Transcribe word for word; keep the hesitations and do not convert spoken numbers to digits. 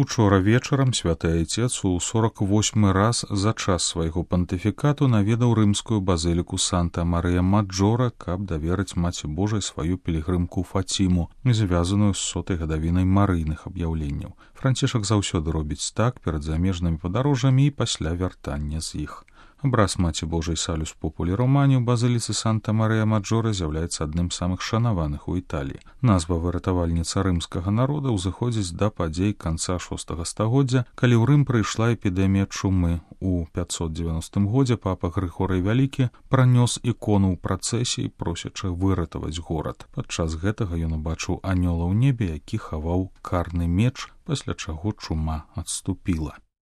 Учора вечарам святы айцец у сорок восьмы раз за час свайго пантыфікату наведаў рымскую базыліку Санта-Марыя-Маджора, каб даверыць Маці Божай сваю пілігрымку Фаціму, звязаную з сотай гадавінай марыйных аб'яўленняў. Францішак заўсёды робіць так перад замежнымі падарожжамі і пасля вяртання з іх. Абраз Маці Божай Салюс Популі Романі ў базыліцы Санта-Марыя-Маджора з'яўляецца адным з самых шанаваных у Італіі. Назва выратавальніца рымскага народа ўзыходзіць да падзей канца шостага стагоддзя, калі ў Рым прыйшла эпідэмія чумы. У пятьсот девяностым годзе папа Грыгорый Вялікі пранёс ікону ў працэсіі, просячы выратаваць горад. Падчас гэтага ён убачыў анёла ў небе, які хаваў карны меч, пасля чаго чума адступіла.